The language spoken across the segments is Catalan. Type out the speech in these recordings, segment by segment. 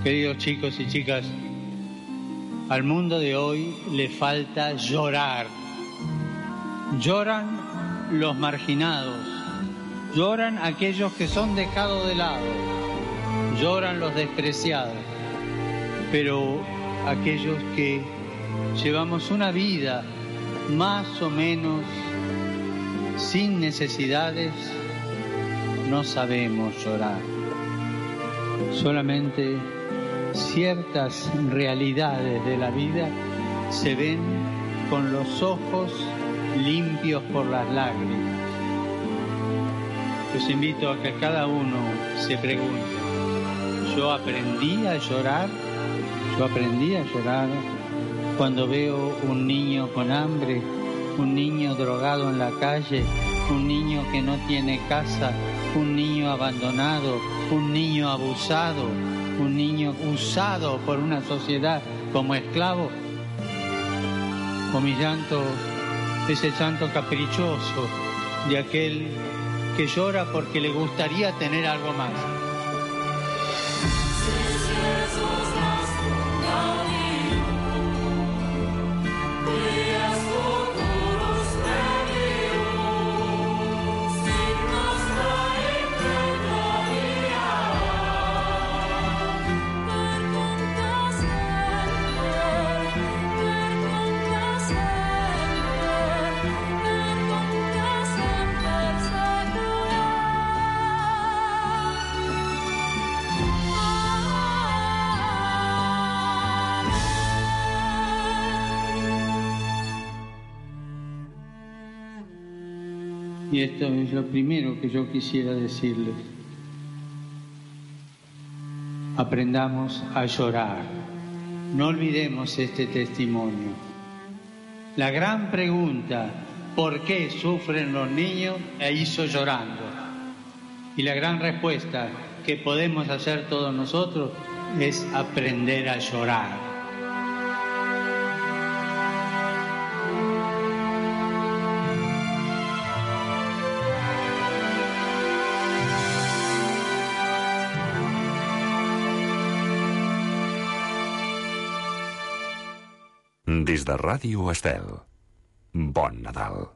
Queridos chicos y chicas, al mundo de hoy le falta llorar. Lloran los marginados, lloran aquellos que son dejados de lado, lloran los despreciados, pero aquellos que llevamos una vida más o menos sin necesidades, no sabemos llorar. Solamente ciertas realidades de la vida se ven con los ojos limpios por las lágrimas. Los invito a que cada uno se pregunte, ¿yo aprendí a llorar? ¿Yo aprendí a llorar cuando veo un niño con hambre, un niño drogado en la calle, un niño que no tiene casa, un niño abandonado, un niño abusado, un niño usado por una sociedad como esclavo? O mi llanto, ese llanto caprichoso de aquel que llora porque le gustaría tener algo más. Y esto es lo primero que yo quisiera decirles. Aprendamos a llorar. No olvidemos este testimonio. La gran pregunta, ¿por qué sufren los niños?, la hizo llorando. Y la gran respuesta que podemos hacer todos nosotros es aprender a llorar. Des de Ràdio Estel, bon Nadal.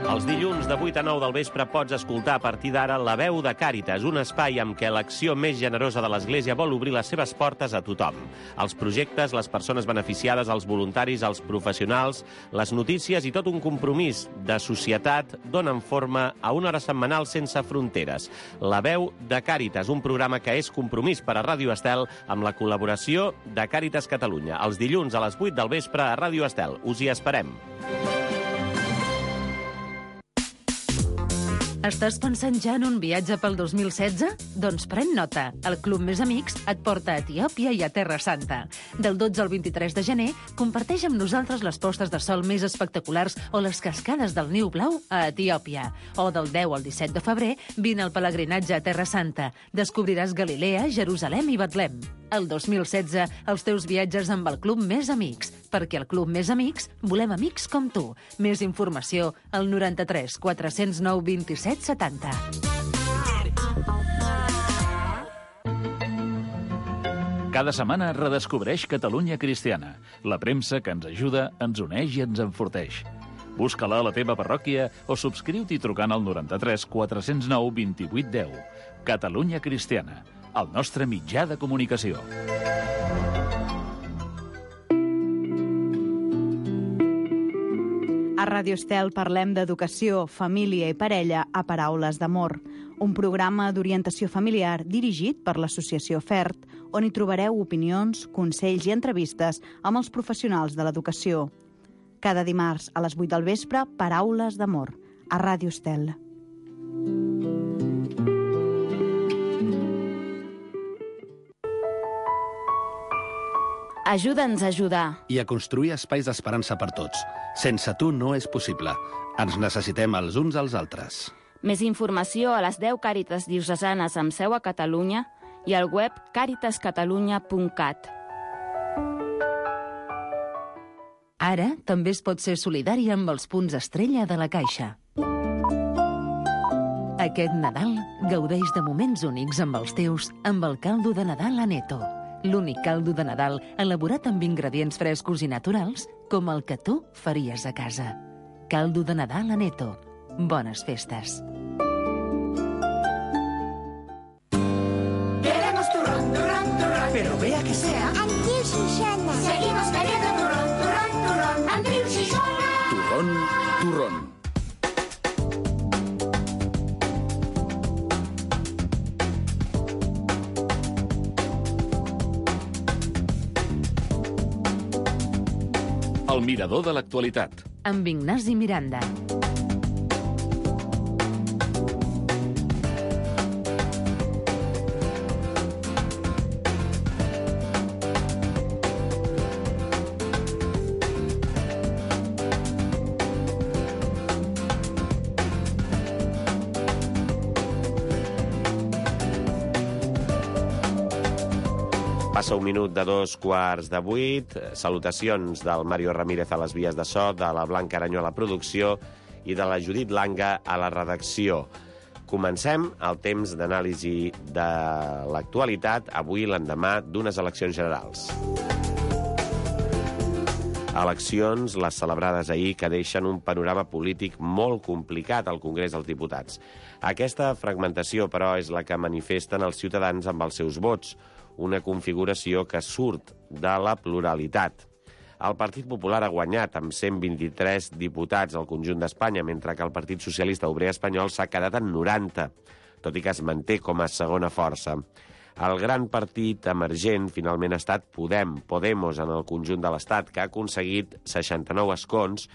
Els dilluns de 8 a 9 del vespre pots escoltar a partir d'ara La Veu de Càritas, un espai amb què l'acció més generosa de l'Església vol obrir les seves portes a tothom. Els projectes, les persones beneficiades, els voluntaris, els professionals, les notícies i tot un compromís de societat donen forma a una hora setmanal sense fronteres. La Veu de Càritas, un programa que és compromís per a Ràdio Estel amb la col·laboració de Càritas Catalunya. Els dilluns a les 8 del vespre a Ràdio Estel. Us hi esperem. Estàs pensant ja en un viatge pel 2016? Doncs pren nota. El Club Més Amics et porta a Etiòpia i a Terra Santa. Del 12 al 23 de gener, comparteix amb nosaltres les postes de sol més espectaculars o les cascades del Niu Blau a Etiòpia. O del 10 al 17 de febrer, vine al pelegrinatge a Terra Santa. Descobriràs Galilea, Jerusalem i Betlem. El 2016, els teus viatges amb el Club Més Amics. Perquè al Club Més Amics volem amics com tu. Més informació al 93 409 27 70. Cada setmana redescobreix Catalunya Cristiana. La premsa que ens ajuda, ens uneix i ens enforteix. Busca-la a la teva parròquia o subscriu-t'hi trucant al 93 409 28 10. Catalunya Cristiana, el nostre mitjà de comunicació. A Ràdio Estel parlem d'educació, família i parella a Paraules d'Amor, un programa d'orientació familiar dirigit per l'Associació FERT, on hi trobareu opinions, consells i entrevistes amb els professionals de l'educació. Cada dimarts a les 8 del vespre, Paraules d'Amor, a Ràdio Estel. Ajuda'ns a ajudar. I a construir espais d'esperança per tots. Sense tu no és possible. Ens necessitem els uns als altres. Més informació a les 10 Càritas diocesanes amb seu a Catalunya i al web caritascatalunya.cat. Ara també es pot ser solidari amb els punts estrella de la Caixa. Aquest Nadal Gaudeix de moments únics amb els teus amb el caldo de Nadal Aneto. L'únic caldo de Nadal elaborat amb ingredients frescos i naturals com el que tu faries a casa. Caldo de Nadal Aneto. Bones festes. Queremos turrón, turrón, turrón. Pero vea que sea Antiu Xixona. Seguimos queriendo turrón, turrón, turrón. Antiu Xixona. Turrón, turrón. El mirador de l'actualitat. Amb Ignasi Miranda. Passa un minut de 7:45. Salutacions del Mario Ramírez a les vies de so, de la Blanca Aranyó a la producció i de la Judit Langa a la redacció. Comencem el temps d'anàlisi de l'actualitat, avui l'endemà d'unes eleccions generals. Eleccions, les celebrades ahir, que deixen un panorama polític molt complicat al Congrés dels Diputats. Aquesta fragmentació, però, és la que manifesten els ciutadans amb els seus vots, una configuració que surt de la pluralitat. El Partit Popular ha guanyat amb 123 diputats al conjunt d'Espanya, mentre que el Partit Socialista Obrer Espanyol s'ha quedat en 90, tot i que es manté com a segona força. El gran partit emergent finalment ha estat Podemos en el conjunt de l'Estat, que ha aconseguit 69 escons,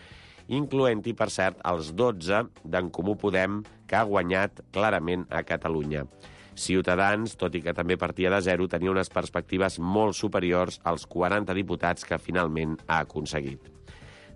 incloent-hi, per cert, els 12 d'en Comú Podem, que ha guanyat clarament a Catalunya. Ciutadans, tot i que també partia de zero, tenia unes perspectives molt superiors als 40 diputats que finalment ha aconseguit.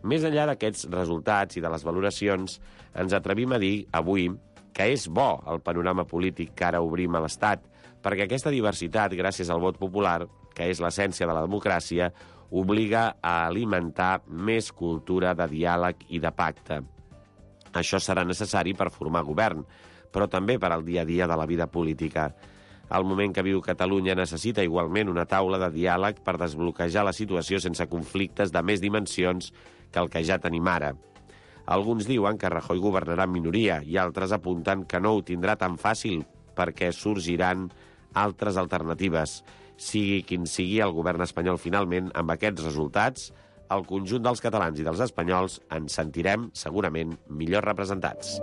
Més enllà d'aquests resultats i de les valoracions, ens atrevim a dir avui que és bo el panorama polític que ara obrim a l'Estat, perquè aquesta diversitat, gràcies al vot popular, que és l'essència de la democràcia, obliga a alimentar més cultura de diàleg i de pacte. Això serà necessari per formar govern, però també per al dia a dia de la vida política. El moment que viu Catalunya necessita igualment una taula de diàleg per desbloquejar la situació sense conflictes de més dimensions que el que ja tenim ara. Alguns diuen que Rajoy governarà en minoria i altres apunten que no ho tindrà tan fàcil perquè sorgiran altres alternatives. Sigui quin sigui el govern espanyol finalment, amb aquests resultats, el conjunt dels catalans i dels espanyols ens sentirem segurament millor representats.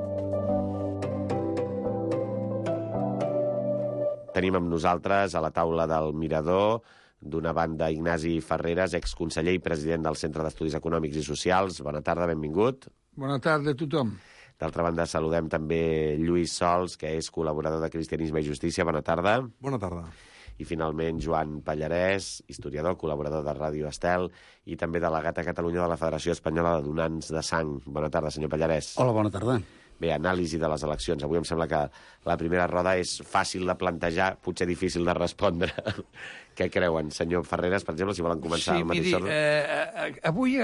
Tenim amb nosaltres a la taula del Mirador, d'una banda, Ignasi Ferreres, exconseller i president del Centre d'Estudis Econòmics i Socials. Bona tarda, benvingut. Bona tarda a tothom. D'altra banda, saludem també Lluís Sols, que és col·laborador de Cristianisme i Justícia. Bona tarda. Bona tarda. I finalment, Joan Pallarès, historiador, col·laborador de Ràdio Estel i també delegat a Catalunya de la Federació Espanyola de Donants de Sang. Bona tarda, senyor Pallarès. Hola, bona tarda. Bé, anàlisi de les eleccions. Avui em sembla que la primera roda és fàcil de plantejar, potser difícil de respondre. Què creuen, senyor Ferreres, per exemple, si volen començar al mateix ordre? Avui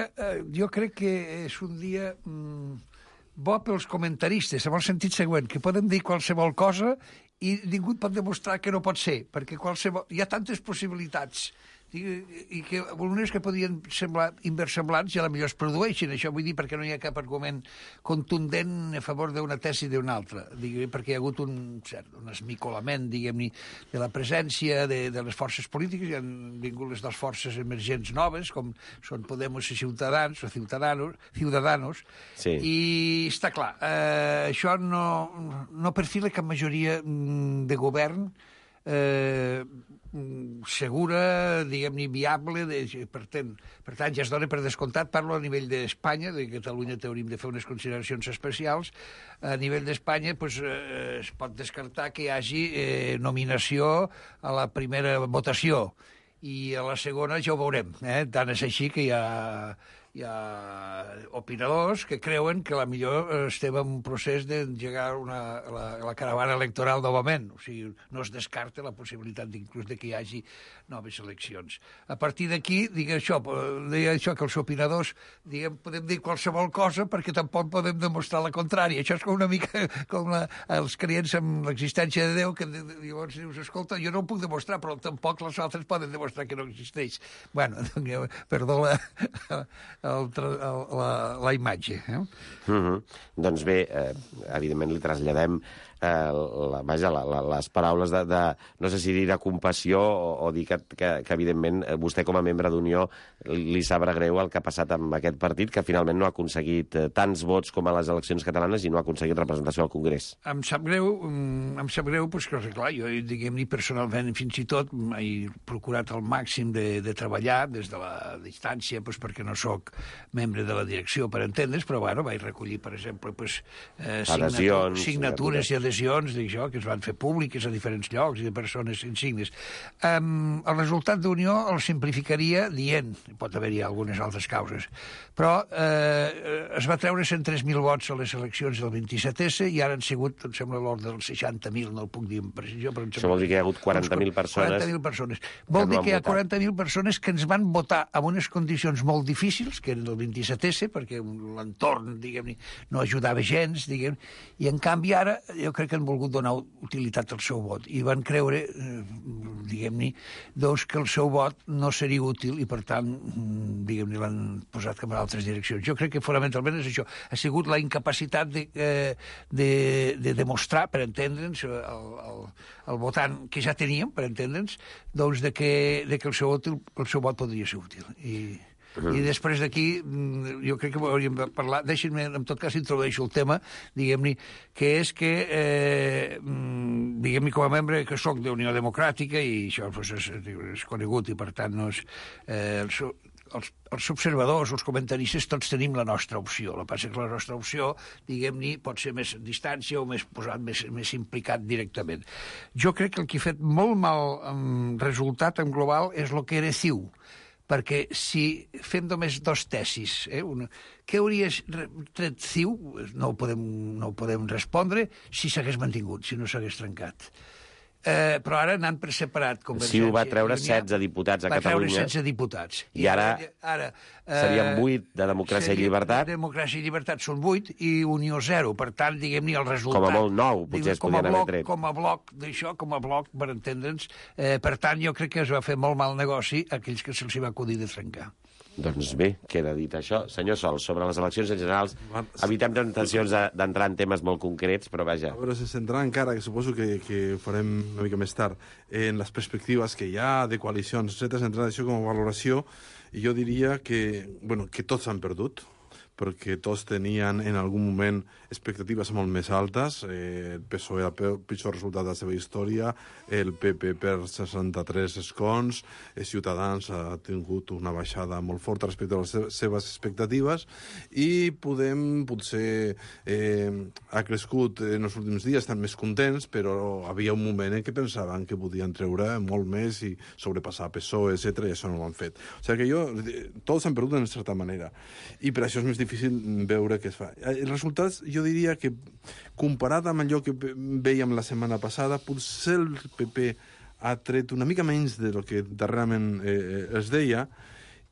jo crec que és un dia bo pels comentaristes, en el sentit següent, que podem dir qualsevol cosa i ningú pot demostrar que no pot ser, perquè hi ha tantes possibilitats i que unes que podien semblar inversemblants i a la millor es produeixen. Això vull dir perquè no hi ha cap argument contundent a favor d'una tesi i d'una altra, perquè hi ha hagut un esmicolament, diguem-ne, de la presència de les forces polítiques. Hi han vingut les dues forces emergents noves, com són Podemos i Ciutadans, o Ciudadanos, sí. I està clar, això no perfila cap majoria de govern segura, diguem-ne, viable, per tant, ja es dona per descomptat, parlo a nivell d'Espanya, de Catalunya hauríem de fer unes consideracions especials, a nivell d'Espanya es pot descartar que hi hagi nominació a la primera votació, i a la segona ja ho veurem, tant és així que hi ha opinadors que creuen que la millor estem en un procés d'engegar la caravana electoral novament. O sigui, no es descarta la possibilitat inclús de que hi hagi noves eleccions. A partir d'aquí, deia això que els opinadors podem dir qualsevol cosa perquè tampoc podem demostrar la contrària. Això és com una mica com els creients amb l'existència de Déu, que llavors dius, escolta, jo no ho puc demostrar, però tampoc els altres poden demostrar que no existeix. Bueno, perdó la imatge. Doncs bé, evidentment li traslladem les paraules de no sé si dir de compassió o dir que evidentment vostè com a membre d'Unió li sabrà greu el que ha passat amb aquest partit, que finalment no ha aconseguit tants vots com a les eleccions catalanes i no ha aconseguit representació al Congrés. Em sap greu, perquè, clar, jo, diguem-ne, personalment, fins i tot, he procurat al màxim de treballar des de la distància, perquè no sóc membre de la direcció, per entendre's, però, bueno, vaig recollir, per exemple, signatures i adhesions d'això, que es van fer públiques a diferents llocs i de persones insignes. El resultat d'Unió el simplificaria dient, pot haver-hi algunes altres causes, però es va treure 103.000 vots a les eleccions del 27S i ara han sigut, em sembla, l'ordre dels 60.000, no el puc dir amb precisió, però això vol dir que hi ha hagut 40.000 persones. 40.000 persones. Vol dir que hi ha 40.000 persones que ens van votar en unes condicions molt difícils, que eren del 27S, perquè l'entorn, diguem-ne, no ajudava gens, diguem, i en canvi ara jo crec que han volgut donar utilitat al seu vot i van creure, diguem-ne, doncs que el seu vot no seria útil i, per tant, diguem-ne, l'han posat cap a altres direccions. Jo crec que fonamentalment és això. Ha sigut la incapacitat de demostrar, per entendre'ns, el votant que ja teníem, per entendre'ns, doncs que el seu vot podria ser útil. I després d'aquí, jo crec que hauríem de parlar, deixin-me, en tot cas, introdueixo el tema, diguem-ne, que és que, diguem-ne, com a membre que soc d'Unió Democràtica, i això és conegut, i per tant no és... Els observadors, els comentaristes, tots tenim la nostra opció. El que passa és que la nostra opció, diguem-ne, pot ser més a distància o més posat, més implicat directament. Jo crec que el que ha fet molt mal resultat en global és el que era CiU, perquè si fem només dos tesis, què hauria tret CiU? No ho podem respondre si s'hagués mantingut, si no s'hagués trencat. Però ara anant per separat. CiU va treure 16 diputats a Catalunya. Va treure 16 diputats. I ara serien 8 de Democràcia i Llibertat. Democràcia i Llibertat són 8 i Unió 0. Per tant, diguem-ne, el resultat... Com a molt 9, potser es podien haver tret. Com a bloc d'això, com a bloc, per entendre'ns. Per tant, jo crec que es va fer molt mal negoci a aquells que se'ls va acudir de trencar. Doncs bé, queda dit això. Senyor Sol, sobre les eleccions en general, evitem tentacions d'entrar en temes molt concrets, però vaja. A veure, sense entrar encara, que suposo que ho farem una mica més tard, en les perspectives que hi ha de coalicions, etc., entrar això com a valoració, i jo diria que tots han perdut, perquè tots tenien en algun moment expectatives molt més altes. El PSOE era el pitjor resultat de la seva història, el PP per 63 escons, Ciutadans ha tingut una baixada molt forta respecte a les seves expectatives i Podem potser ha crescut en els últims dies, estan més contents, però havia un moment en què pensaven que podien treure molt més i sobrepassar PSOE, etc., i això no ho han fet. O sigui que tots han perdut en certa manera. I per això és més difícil veure què es fa. Els resultats, jo diria que, comparat amb allò que veiem la setmana passada, potser el PP ha tret una mica menys del que darrerament es deia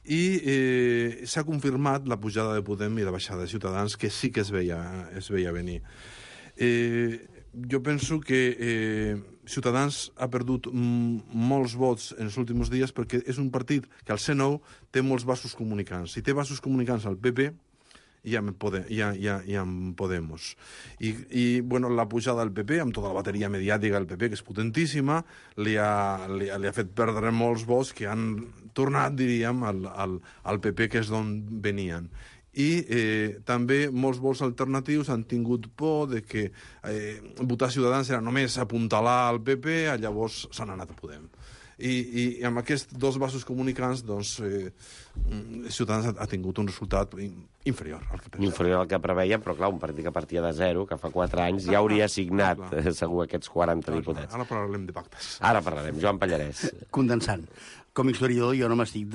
i s'ha confirmat la pujada de Podem i la baixada de Ciutadans, que sí que es veia venir. Jo penso que Ciutadans ha perdut molts vots en els últims dies perquè és un partit que al C9 té molts vasos comunicants. Si té vasos comunicants al PP, i amb Podemos. I la pujada del PP, amb tota la bateria mediàtica del PP, que és potentíssima, li ha fet perdre molts vots que han tornat, diríem, al PP, que és d'on venien. I també molts vots alternatius han tingut por de que votar Ciutadans era només apuntalar al PP, llavors s'han anat a Podem. I amb aquests dos vasos comunicants, doncs, Ciutadans ha tingut un resultat inferior al que preveia. Inferior al que preveia, però clar, un partit que partia de 0, que fa 4 anys, ja hauria signat segur aquests 40 diputats. Ara parlarem de pactes. Ara parlarem. Joan Pallarès. Condensant. Com a historiador jo no m'estic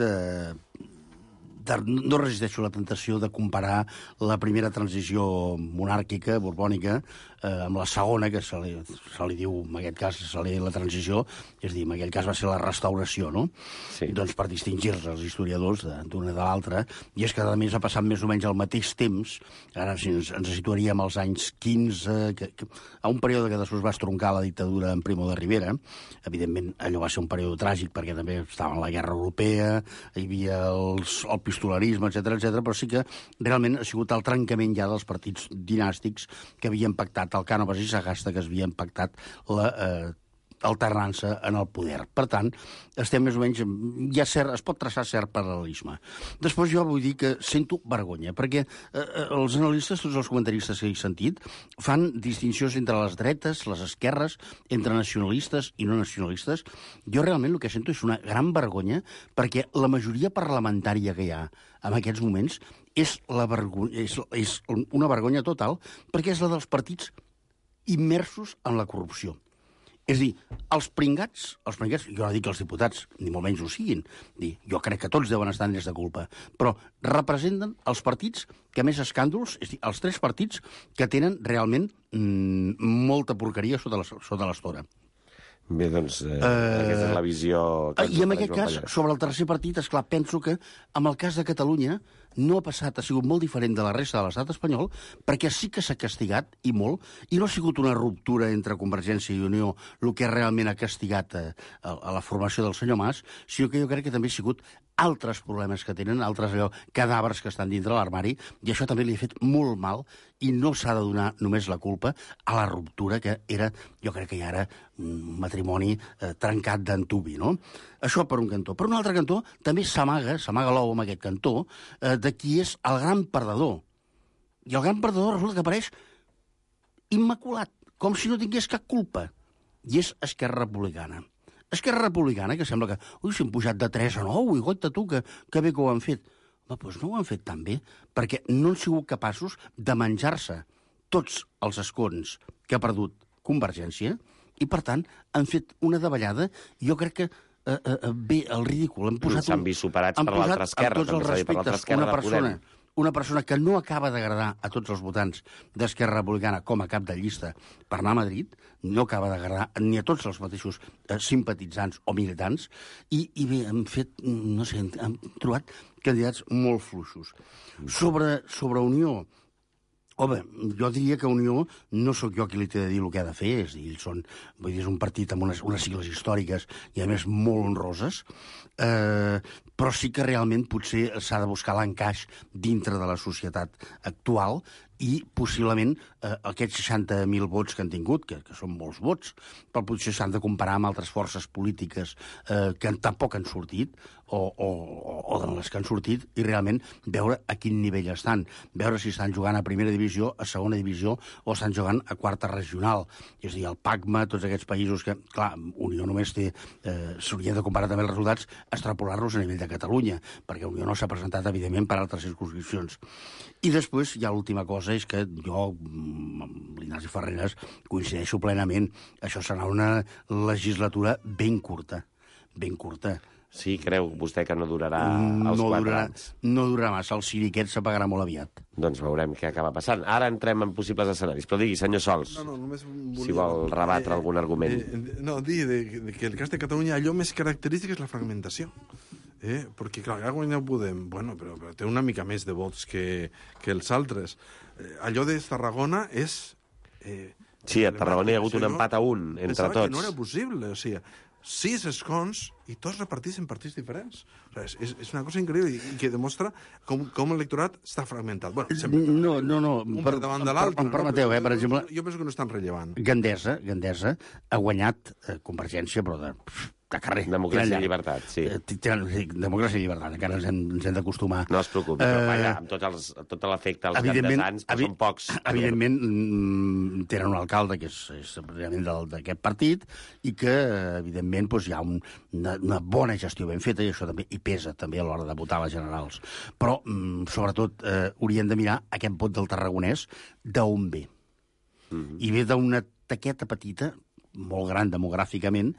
no resisteixo la tentació de comparar la primera transició monàrquica, borbònica, amb la segona, que se li diu, en aquest cas, se li diu la transició, és a dir, en aquell cas va ser la restauració, no? Sí. Doncs per distingir-se els historiadors d'una de l'altra, i és que, a més, ha passat més o menys al mateix temps, ara si ens situaríem als anys 15, a un període que després va estroncar la dictadura en Primo de Rivera. Evidentment, allò va ser un període tràgic, perquè també estava en la guerra europea, hi havia el pistolarisme, etc, però sí que realment ha sigut el trencament ja dels partits dinàstics que havien pactat el Cànovas i Sagasta, que havien pactat l'alternança en el poder. Per tant, estem més o menys... es pot traçar cert paral·lelisme. Després jo vull dir que sento vergonya, perquè els analistes, tots els comentaristes que he sentit, fan distincions entre les dretes, les esquerres, entre nacionalistes i no nacionalistes. Jo realment el que sento és una gran vergonya, perquè la majoria parlamentària que hi ha en aquests moments és una vergonya total, perquè és la dels partits immersos en la corrupció. És a dir, els pringats, jo no dic que els diputats, ni molt menys ho siguin, jo crec que tots deuen estar en llest de culpa, però representen els partits que més escàndols, és a dir, els 3 partits que tenen realment molta porqueria sota l'estora. Bé, doncs, aquesta és la visió... I en aquest cas, sobre el tercer partit, esclar, penso que en el cas de Catalunya no ha passat, ha sigut molt diferent de la resta de l'estat espanyol, perquè sí que s'ha castigat, i molt, i no ha sigut una ruptura entre Convergència i Unió el que realment ha castigat a la formació del senyor Mas, sinó que jo crec que també ha sigut altres problemes que tenen, altres cadàvers que estan dintre l'armari, i això també li ha fet molt mal, i no s'ha de donar només la culpa a la ruptura que era, jo crec que ja era un matrimoni trencat d'antubi, no? Això per un cantó. Per un altre cantó, també s'amaga l'ou amb aquest cantó, de qui és el gran perdedor. I el gran perdedor resulta que apareix immaculat, com si no tingués cap culpa. I és Esquerra Republicana. Esquerra Republicana, que sembla que s'han pujat de 3 a 9, i goita tu, que bé que ho han fet. Doncs no ho han fet tan bé, perquè no han sigut capaços de menjar-se tots els escons que ha perdut Convergència, i, per tant, han fet una davallada, i jo crec que bé, el ridícul. S'han vist superats per l'altra esquerra, amb tots els respectes, una persona que no acaba d'agradar a tots els votants d'Esquerra Republicana com a cap de llista per anar a Madrid, no acaba d'agradar ni a tots els mateixos simpatitzants o militants, i bé, han fet, no sé, han trobat candidats molt fluixos. Sobre Unió, home, jo diria que Unió no sóc jo qui li té de dir el que ha de fer, és un partit amb unes sigles històriques i, a més, molt honroses, però sí que realment potser s'ha de buscar l'encaix dintre de la societat actual, i possiblement aquests 60.000 vots que han tingut, que són molts vots, però potser s'han de comparar amb altres forces polítiques que tampoc han sortit, o de les que han sortit, i realment veure a quin nivell estan, veure si estan jugant a primera divisió, a segona divisió, o estan jugant a quarta regional. És a dir, el PACMA, tots aquests països que, clar, Unió només té... s'hauria de comparar també els resultats, extrapolar-los a nivell de Catalunya, perquè Unió no s'ha presentat, evidentment, per altres circunscripcions. I després hi ha l'última cosa, és que jo, amb l'Ignasi Ferreras, coincideixo plenament. Això serà una legislatura ben curta, ben curta. Sí, creu vostè que no durarà els 4 anys? No durarà massa, el ciriquet s'apagarà molt aviat. Doncs veurem què acaba passant. Ara entrem en possibles escenaris, però digui, senyor Sols, si vol rebatre algun argument. Dir que el cas de Catalunya, allò més característic és la fragmentació. Perquè, clar, ha guanyat Podem, bueno, però té una mica més de vots que els altres. Allò de Tarragona és... Sí, a Tarragona hi ha hagut un empat a 1 entre tots. Pensava que no era possible, o sigui, 6 escons i tots repartits en partits diferents. O sigui, és una cosa increïble i que demostra com l'electorat està fragmentat. Bueno, no. Un per davant de l'altre. Em permeteu, per exemple... Jo penso que no és tan rellevant. Gandesa ha guanyat Convergència, però de carrer. Democràcia i llibertat, sí. Democràcia i llibertat, encara ens hem d'acostumar. No es preocupi, però vaja, amb tot l'efecte als gandesans, però són pocs. Evidentment, tenen un alcalde que és realment d'aquest partit i que, evidentment, hi ha una bona gestió ben feta, i això també hi pesa també a l'hora de votar les generals. Però, sobretot, hauríem de mirar aquest vot del tarragonès d'on ve. I ve d'una taqueta petita, molt gran demogràficament,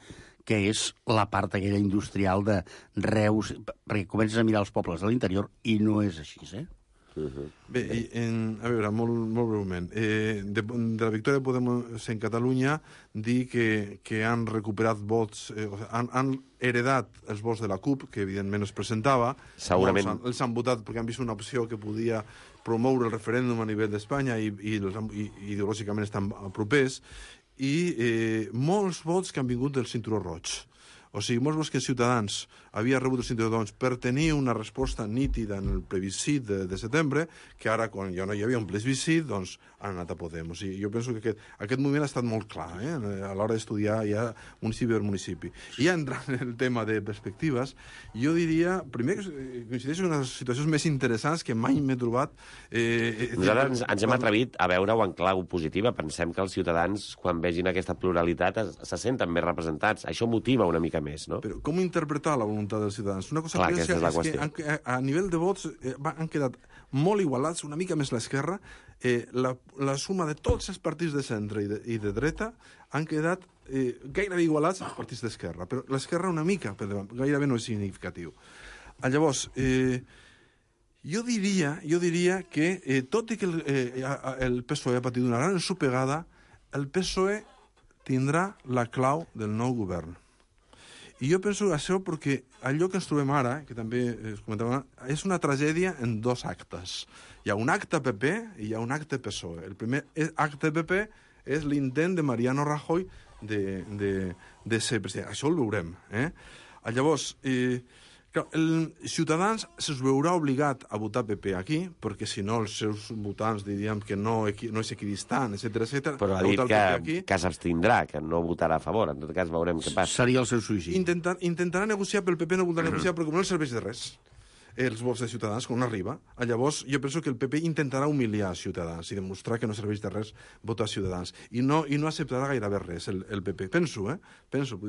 que és la part aquella industrial de Reus, perquè comences a mirar els pobles de l'interior i no és així, Bé, a veure, molt breument. De la victòria de Podemos en Catalunya, dir que han recuperat vots, han heredat els vots de la CUP, que evidentment es presentava. Segurament. Els han votat perquè han vist una opció que podia promoure el referèndum a nivell d'Espanya i ideològicament estan propers, i molts vots que han vingut del cinturó roig. O sigui, molts vots que Ciutadans havia rebut el cinturó roig per tenir una resposta nítida en el plebiscit de setembre, que ara, quan ja no hi havia un plebiscit, doncs han anat a Podemos. I jo penso que aquest moviment ha estat molt clar, a l'hora d'estudiar ja municipi per municipi. I ja entrant en el tema de perspectives, jo diria, primer, que coincideixo en les situacions més interessants que mai m'he trobat. Nosaltres ens hem atrevit a veure-ho en clau positiva. Pensem que els ciutadans, quan vegin aquesta pluralitat, se senten més representats. Això motiva una mica més, no? Però com interpretar la voluntat dels ciutadans? Una cosa curiosa és que a nivell de vots han quedat molt igualats, una mica més l'esquerra. La suma de tots els partits de centre i de dreta han quedat gairebé igualats als partits d'esquerra, però l'esquerra una mica, però gairebé no és significatiu. Llavors, jo diria que, tot i que el PSOE ha patit una gran ensopegada, el PSOE tindrà la clau del nou govern. I jo penso això perquè allò que ens trobem ara, que també es comentava, és una tragèdia en dos actes. Hi ha un acte PP i hi ha un acte PSOE. El primer acte PP és l'intent de Mariano Rajoy de ser president. Això el veurem. Llavors, Ciutadans se'ls veurà obligat a votar PP aquí, perquè si no els seus votants diríem que no és equidistant, etc. Però ha dit que s'abstindrà, que no votarà a favor. En tot cas, veurem què passa. Seria el seu suïcidi. Intentarà negociar, però el PP no voldrà negociar, perquè no els serveix de res els vots de Ciutadans, quan arriba. Llavors, jo penso que el PP intentarà humiliar Ciutadans i demostrar que no serveix de res votar Ciutadans. I no acceptarà gairebé res, el PP. Penso,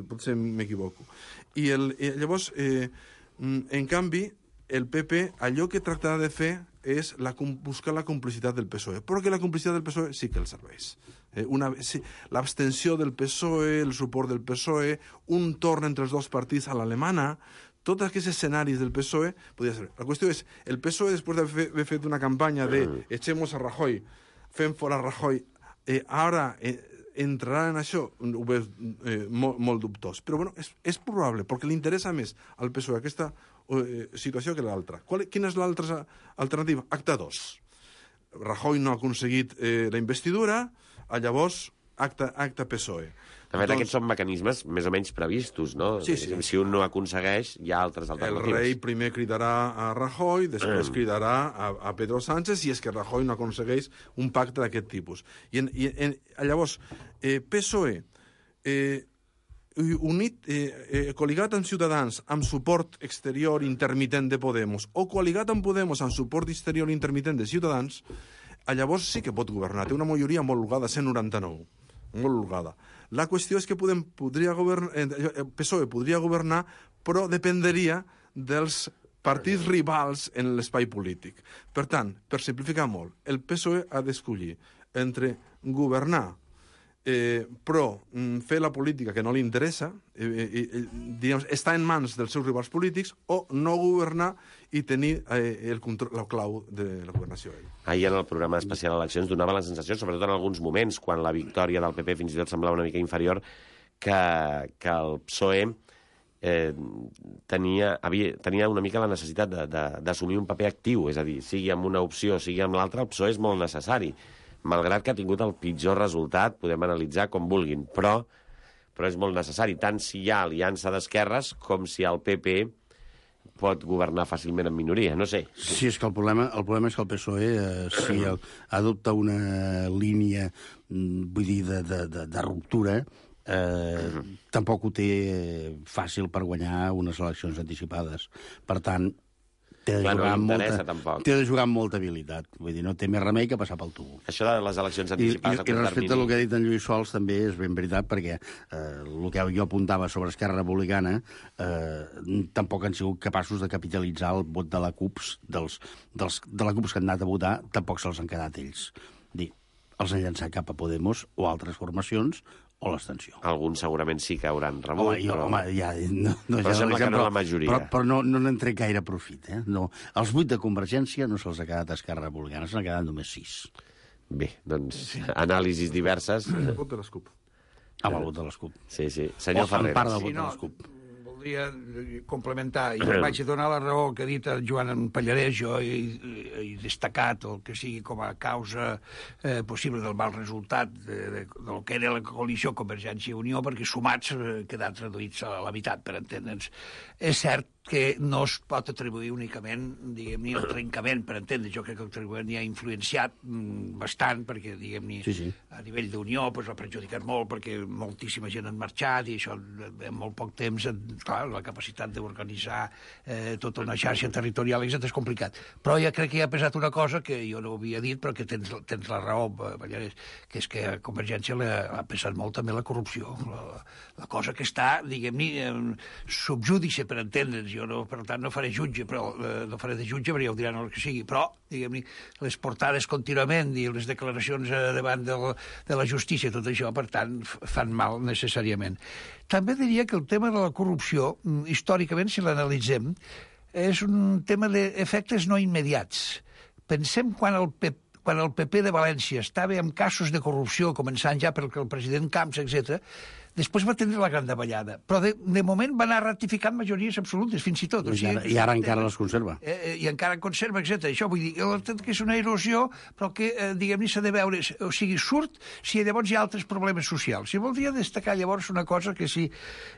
potser m'equivoco. I llavors... En canvi, el PP, allò que tractarà de fer és buscar la complicitat del PSOE, perquè la complicitat del PSOE sí que el serveix. L'abstenció del PSOE, el suport del PSOE, un torn entre els dos partits a l'alemana, tots aquests escenaris del PSOE podria ser. La qüestió és, el PSOE, després d'haver fet una campanya de echemos a Rajoy, fem fora Rajoy, ara... entrarà en això, ho veus molt dubtós. Però bueno, és probable, perquè li interessa més al PSOE aquesta situació que l'altra. Quina és l'altra alternativa? Acte 2. Rajoy no ha aconseguit la investidura, llavors acte PSOE. De fet, aquests són mecanismes més o menys previstos, no? Sí. Si un no aconsegueix, hi ha altres alternatives. El rei primer cridarà a Rajoy, després cridarà a Pedro Sánchez, si és que Rajoy no aconsegueix un pacte d'aquest tipus. Llavors, PSOE, col·ligat amb Ciutadans, amb suport exterior intermitent de Podemos, o col·ligat amb Podemos amb suport exterior intermitent de Ciutadans, llavors sí que pot governar. Té una majoria molt holgada, 199. Molt holgada. La qüestió és que PSOE podria governar, però dependria dels partits rivals en l'espai polític. Per tant, per simplificar molt, el PSOE ha d'escollir entre governar però fer la política que no li interessa, està en mans dels seus rivals polítics, o no governar i tenir la clau de la governació. Ahir en el programa especial Eleccions donava la sensació, sobretot en alguns moments, quan la victòria del PP fins i tot semblava una mica inferior, que el PSOE tenia una mica la necessitat d'assumir un paper actiu, és a dir, sigui amb una opció, sigui amb l'altra, el PSOE és molt necessari. Malgrat que ha tingut el pitjor resultat, podem analitzar com vulguin, però és molt necessari, tant si hi ha aliança d'esquerres com si el PP pot governar fàcilment en minoria, no sé. Sí, és que el problema és que el PSOE, si adopta una línia, vull dir, de ruptura, tampoc ho té fàcil per guanyar unes eleccions anticipades. Per tant, té de jugar amb molta habilitat. Vull dir, no té més remei que passar pel tubo. Això de les eleccions anticipades... I respecte al que ha dit en Lluís Sols, també és ben veritat, perquè el que jo apuntava sobre Esquerra Republicana tampoc han sigut capaços de capitalitzar el vot de la CUP, de la CUP que han anat a votar, tampoc se'ls han quedat ells. Els han llançat cap a Podemos o altres formacions, o l'abstenció. Alguns segurament sí que hauran rebut. Però sembla que no la majoria. Però no n'han tret gaire profit. No. Els 8 de Convergència no se'ls ha quedat Esquerra Republicana, se n'ha quedat només 6. Bé, doncs, anàlisis diverses. El vot de les CUP. Amb el vot de les CUP. Sí. Senyor Ferreras. En part del vot de les CUP. Voldria complementar, i vaig a donar la raó que ha dit el Joan Pallarès. Jo he destacat el que sigui com a causa possible del mal resultat del que era la coalició Convergència i Unió, perquè sumats quedat reduïts a la meitat, per entendre'ns. És cert que no es pot atribuir únicament, diguem-ne, el trencament, per entendre. Jo crec que el trencament ja ha influenciat bastant, perquè, diguem-ne, a nivell d'Unió pues, l'ha perjudicat molt, perquè moltíssima gent han marxat, i això en molt poc temps, clar, la capacitat d'organitzar tota una xarxa territorial és complicat. Però ja crec que hi ha pesat una cosa que jo no havia dit, però que tens la raó, Pallarès, que és que a Convergència ha pesat molt també la corrupció. La cosa que està, diguem-ne, subjúdice, per entendre'ns. Jo, per tant, no faré jutge, però no faré de jutge, perquè ja ho diran el que sigui. Però, diguem-ne, les portades contínuament i les declaracions davant de la justícia, tot això, per tant, fan mal necessàriament. També diria que el tema de la corrupció, històricament, si l'analitzem, és un tema d'efectes no immediats. Pensem quan el PP de València estava amb casos de corrupció, començant ja pel president Camps, etc., després va tenir la gran davallada. Però de moment va anar ratificant majories absolutes, fins i tot. I ara encara les conserva. I encara en conserva, etc. Això vull dir que és una erosió, però que, diguem-ne, s'ha de veure, o sigui, surt si llavors hi ha altres problemes socials. I voldria destacar llavors una cosa que sí,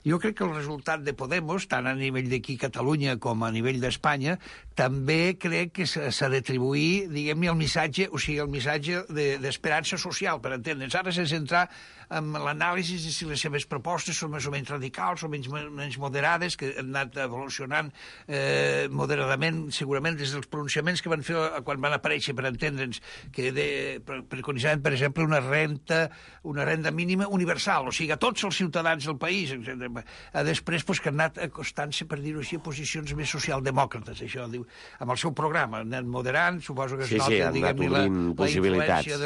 jo crec que el resultat de Podemos, tant a nivell d'aquí Catalunya com a nivell d'Espanya, també crec que s'ha d'atribuir, diguem-ne, el missatge, o sigui, el missatge d'esperança social, per entendre'ns. Ara s'ha de centrar en l'anàlisi de si les seves propostes són més o menys radicals o menys moderades, que han anat evolucionant moderadament, segurament, des dels pronunciaments que van fer quan van aparèixer, per entendre'ns, que preconitzaven, per exemple, una renda mínima universal, o sigui, a tots els ciutadans del país. Després, que han anat acostant-se, per dir-ho així, a posicions més socialdemòcrates, això, diu, amb el seu programa, han anat moderant, suposo que es nota, diguem-ne, la influència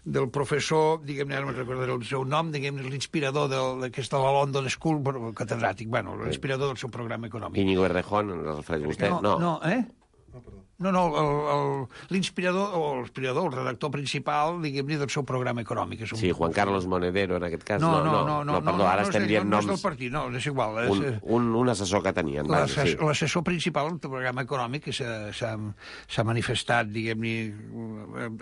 del professor, diguem-ne, ara no recordaré el seu nom, diguem-ne, l'inspirador que és de la London School, catedràtic, bueno, l'inspirador del seu programa econòmic. Íñigo Errejón, el refereix vostè? No, l'inspirador, el redactor principal, diguem-ne, del seu programa econòmic. Sí, Juan Carlos Monedero, en aquest cas. No, perdó, ara estem dient noms. No és del partit, no, és igual. Un assessor que tenien. L'assessor principal del programa econòmic que s'ha manifestat, diguem-ne,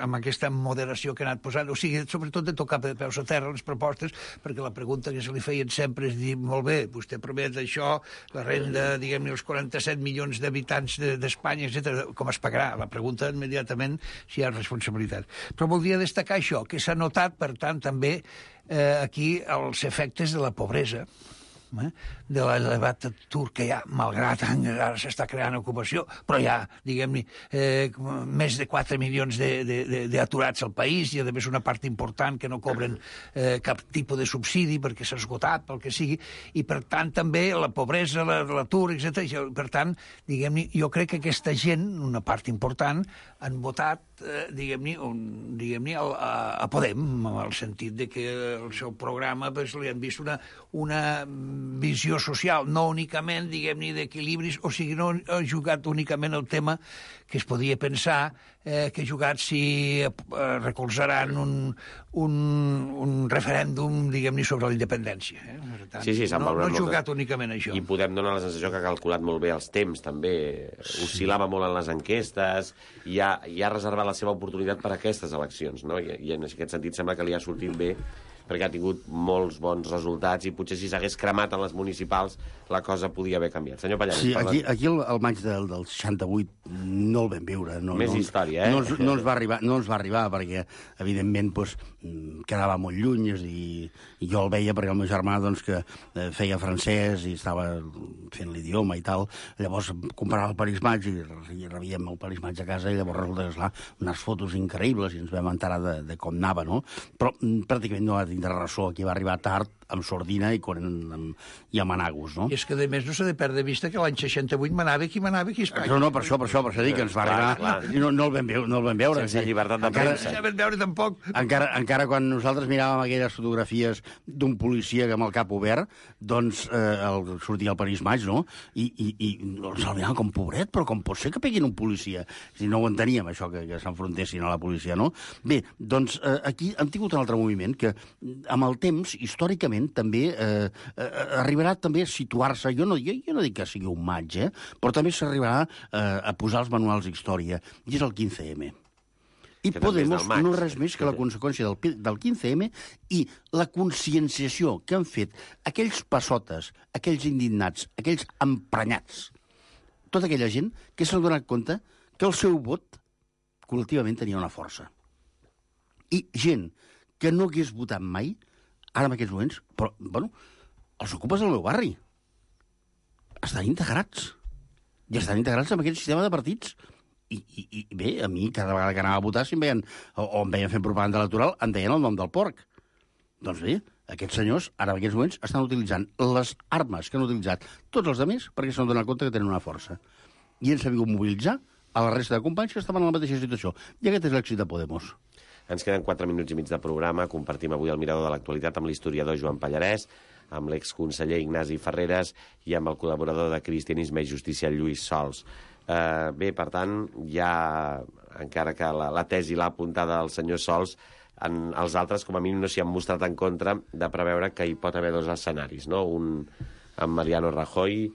amb aquesta moderació que ha anat posant, o sigui, sobretot de tocar de peus a terra les propostes, perquè la pregunta que se li feien sempre és dir, molt bé, vostè promet això, la renda, diguem-ne, els 47 milions d'habitants d'Espanya, etc., com es pagarà? La pregunta immediatament si hi ha responsabilitat. Però voldria destacar això, que s'ha notat, per tant, també aquí els efectes de la pobresa, de l'elevat atur que hi ha, malgrat ara s'està creant ocupació, però hi ha, diguem-ne, més de 4 milions d'aturats al país, i a més una part important que no cobren cap tipus de subsidi perquè s'ha esgotat, pel que sigui, i per tant també la pobresa, l'atur, etc. Per tant, diguem-ne, jo crec que aquesta gent, una part important, han votat, diguem-ne, a Podem, en el sentit de que el seu programa li han vist una visió social, no únicament, diguem-ne, d'equilibris, o sigui, no ha jugat únicament el tema que es podia pensar que ha jugat si recolzaran un referèndum, diguem-ne, sobre la independència. Sí, s'han valorat molt. No ha jugat únicament això. I Podem donar la sensació que ha calculat molt bé els temps, també. Oscil·lava molt en les enquestes i ha reservat la seva oportunitat per a aquestes eleccions, no? I en aquest sentit sembla que li ha sortit bé, perquè ha tingut molts bons resultats i potser si s'hagués cremat en les municipals la cosa podia haver canviat. Senyor Pallarès, sí, aquí el maig del 68 no el vam viure. Més història, eh? No ens va arribar perquè, evidentment, quedava molt lluny, i jo el veia perquè el meu germà que feia francès i estava fent l'idioma i tal. Llavors comprava el Paris Match i rebíem el Paris Match a casa, i llavors resulta que, esclar, unes fotos increïbles, i ens vam enterar de com anava, no? Però pràcticament no va tindre ressò, aquí va arribar tard, amb sordina i amb anagos, no? I és que, a més, no s'ha de perdre de vista que l'any 68 manava qui a Espanya. No, per això dic que ens va arribar... No el vam veure. Sense llibertat de premsa. No vam veure tampoc. Encara quan nosaltres miràvem aquelles fotografies d'un policia amb el cap obert, doncs sortia el París Maig, no? I ens el miraven com pobret, però com pot ser que peguin un policia? Si no ho enteníem, això, que s'enfrontessin a la policia, no? Bé, doncs aquí hem tingut un altre moviment que, amb el temps, històricament, també arribarà també a situar-se, jo no dic que sigui un maig, però també s'arribarà a posar els manuals d'història, i és el 15M. I Podemos no és res més que la conseqüència del 15M i la conscienciació que han fet aquells passotes, aquells indignats, aquells emprenyats, tota aquella gent que s'han donat compte que el seu vot col·lectivament tenia una força. I gent que no hagués votat mai, ara en aquests moments, però, bueno, els ocupes del meu barri. Estan integrats. I estan integrats en aquest sistema de partits. I bé, a mi, cada vegada que anava a votar, si em veien, o em veien fent propaganda electoral, em deien el nom del porc. Doncs bé, aquests senyors, ara en aquests moments, estan utilitzant les armes que han utilitzat tots els altres perquè s'han donat compte que tenen una força. I han sabut mobilitzar a la resta de companys que estaven en la mateixa situació. I aquest és l'èxit de Podemos. Ens queden 4 minuts i mig de programa. Compartim avui el mirador de l'actualitat amb l'historiador Joan Pallarès, amb l'exconseller Ignasi Ferreres i amb el col·laborador de Cristianisme i Justícia, Lluís Sols. Bé, per tant, ja, encara que la tesi l'ha apuntada el senyor Sols, els altres, com a mínim, no s'hi han mostrat en contra de preveure que hi pot haver 2 escenaris, no? Un amb Mariano Rajoy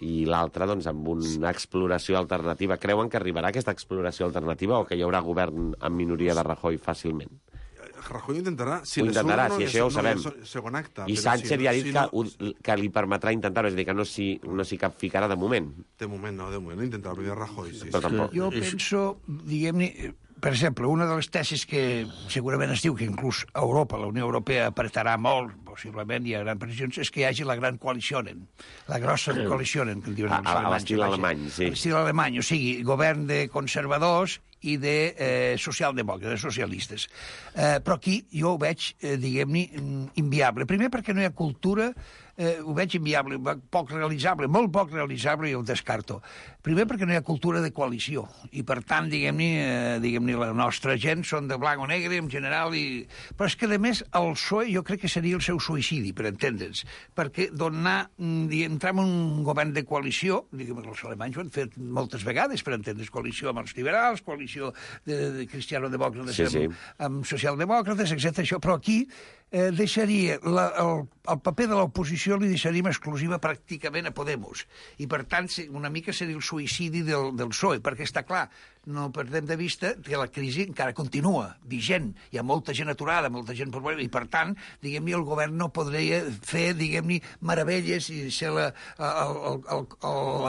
i l'altre doncs, amb una exploració alternativa. Creuen que arribarà aquesta exploració alternativa o que hi haurà govern en minoria de Rajoy fàcilment? Rajoy intentarà. Si ho intentarà, si això ja ho sabem. Segon acte. I Sánchez ja ha dit que li permetrà intentar-ho, és a dir, que no s'hi capficarà de moment. De moment no intentarà primer Rajoy. Sí. Però tampoc. Jo penso, diguem-ne, per exemple, una de les tesis que segurament es diu que inclús a Europa, la Unió Europea apretarà molt, possiblement hi ha grans previsions, és que hi hagi la gran coalició, la grossa coalició, que en diuen els alemanys. A l'estil alemany, sí. A l'estil alemany, o sigui, govern de conservadors i de socialdemòcrates, socialistes. Però aquí jo ho veig, diguem-ne, inviable. Primer perquè no hi ha cultura, ho veig inviable, poc realitzable, molt poc realitzable, i ho descarto. Primer perquè no hi ha cultura de coalició, i per tant, diguem-ne, la nostra gent són de blanc o negre, en general, però és que, a més, el PSOE jo crec que seria el seu suïcidi, per entendre'ns, perquè entrar en un govern de coalició, diguem, els alemanys ho han fet moltes vegades, per entendre'ns, coalició amb els liberals, coalició de cristiano-demòcrates amb socialdemòcrates, etc. Però aquí deixaria el paper de l'oposició li deixaríem exclusiva pràcticament a Podemos. I, per tant, una mica seria el suïcidi del PSOE, perquè està clar, no perdem de vista que la crisi encara continua vigent. Hi ha molta gent aturada, molta gent problema, i, per tant, diguem-ne, el govern no podria fer, diguem-ne, meravelles i ser la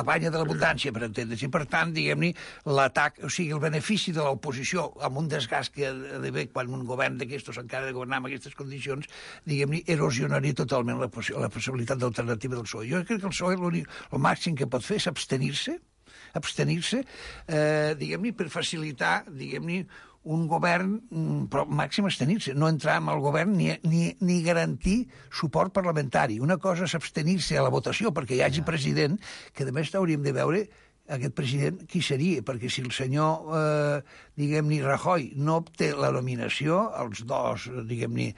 banya de l'abundància, per entendre's. I, per tant, diguem-ne, l'atac, o sigui, el benefici de l'oposició amb un desgast que ha d'haver quan un govern d'aquestos encara ha de governar en aquestes condicions, diguem-ne, erosionaria totalment la possibilitat d'alternativa del PSOE. Jo crec que el PSOE el màxim que pot fer és abstenir-se, diguem-ne, per facilitar, diguem-ne, un govern, però màxim abstenir-se, no entrar en el govern ni garantir suport parlamentari. Una cosa és abstenir-se a la votació perquè hi hagi president, que a més hauríem de veure aquest president qui seria, perquè si el senyor, diguem-ne, Rajoy no obté la nominació, els dos, diguem-ne,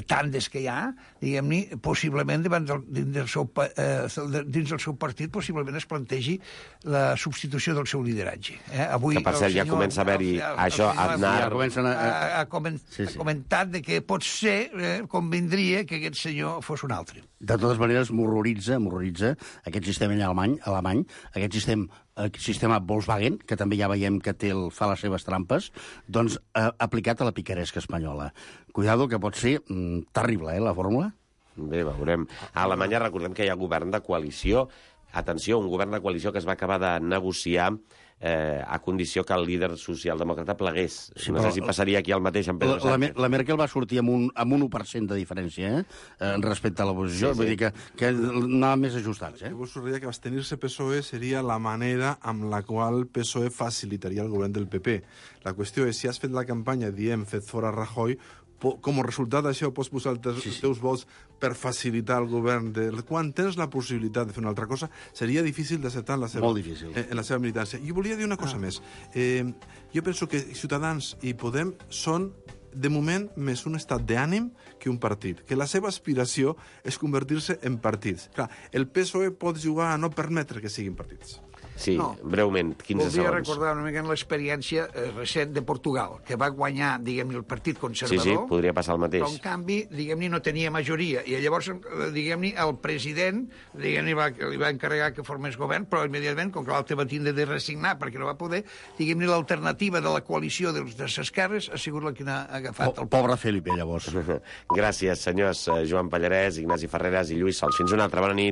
tandes que hi ha, diguem-ne, possiblement dins del seu partit possiblement es plantegi la substitució del seu lideratge. Avui, que per cert ja comença a haver-hi això, ha comentat que potser convindria que aquest senyor fos un altre. De totes maneres, m'horroritza aquest sistema alemany, aquest sistema Volkswagen, que també ja veiem que fa les seves trampes, doncs aplicat a la picaresca espanyola. Cuidado, que pot ser terrible, la fórmula. Bé, veurem. A Alemanya recordem que hi ha govern de coalició. Atenció, un govern de coalició que es va acabar de negociar a condició que el líder socialdemòcrata plegués. Sí, no sé si passaria aquí el mateix amb Pedro Sánchez. La Merkel va sortir amb un 1% de diferència respecte a l'oposició. Vull dir que anava més ajustats. Jo vos diria que abstenir-se PSOE seria la manera amb la qual PSOE facilitaria el govern del PP. La qüestió és, si has fet la campanya dient fet fora Rajoy, com a resultat d'això pots posar els teus vots per facilitar el govern. Quan tens la possibilitat de fer una altra cosa, seria difícil d'acceptar en la seva militància. Jo volia dir una cosa més. Jo penso que Ciutadans i Podem són de moment, més un estat d'ànim que un partit, que la seva aspiració és convertir-se en partits. Clar, el PSOE pot jugar a no permetre que siguin partits. Sí, breument, 15 segons. Voldria recordar una mica l'experiència recent de Portugal, que va guanyar, diguem-ne, el Partit Conservador. Sí, podria passar el mateix. Però, en canvi, diguem-ne, no tenia majoria. I llavors, diguem-ne, el president, diguem-ne, li va encarregar que formés govern, però immediatament, com que l'altre va tindre de resignar perquè no va poder, diguem-ne, l'alternativa de la coalició de les esquerres ha sigut la que n'ha agafat. Pobre Felipe, llavors. Gràcies, senyors Joan Pallarès, Ignasi Ferreras i Lluís Sols. Fins una altra. Bona nit.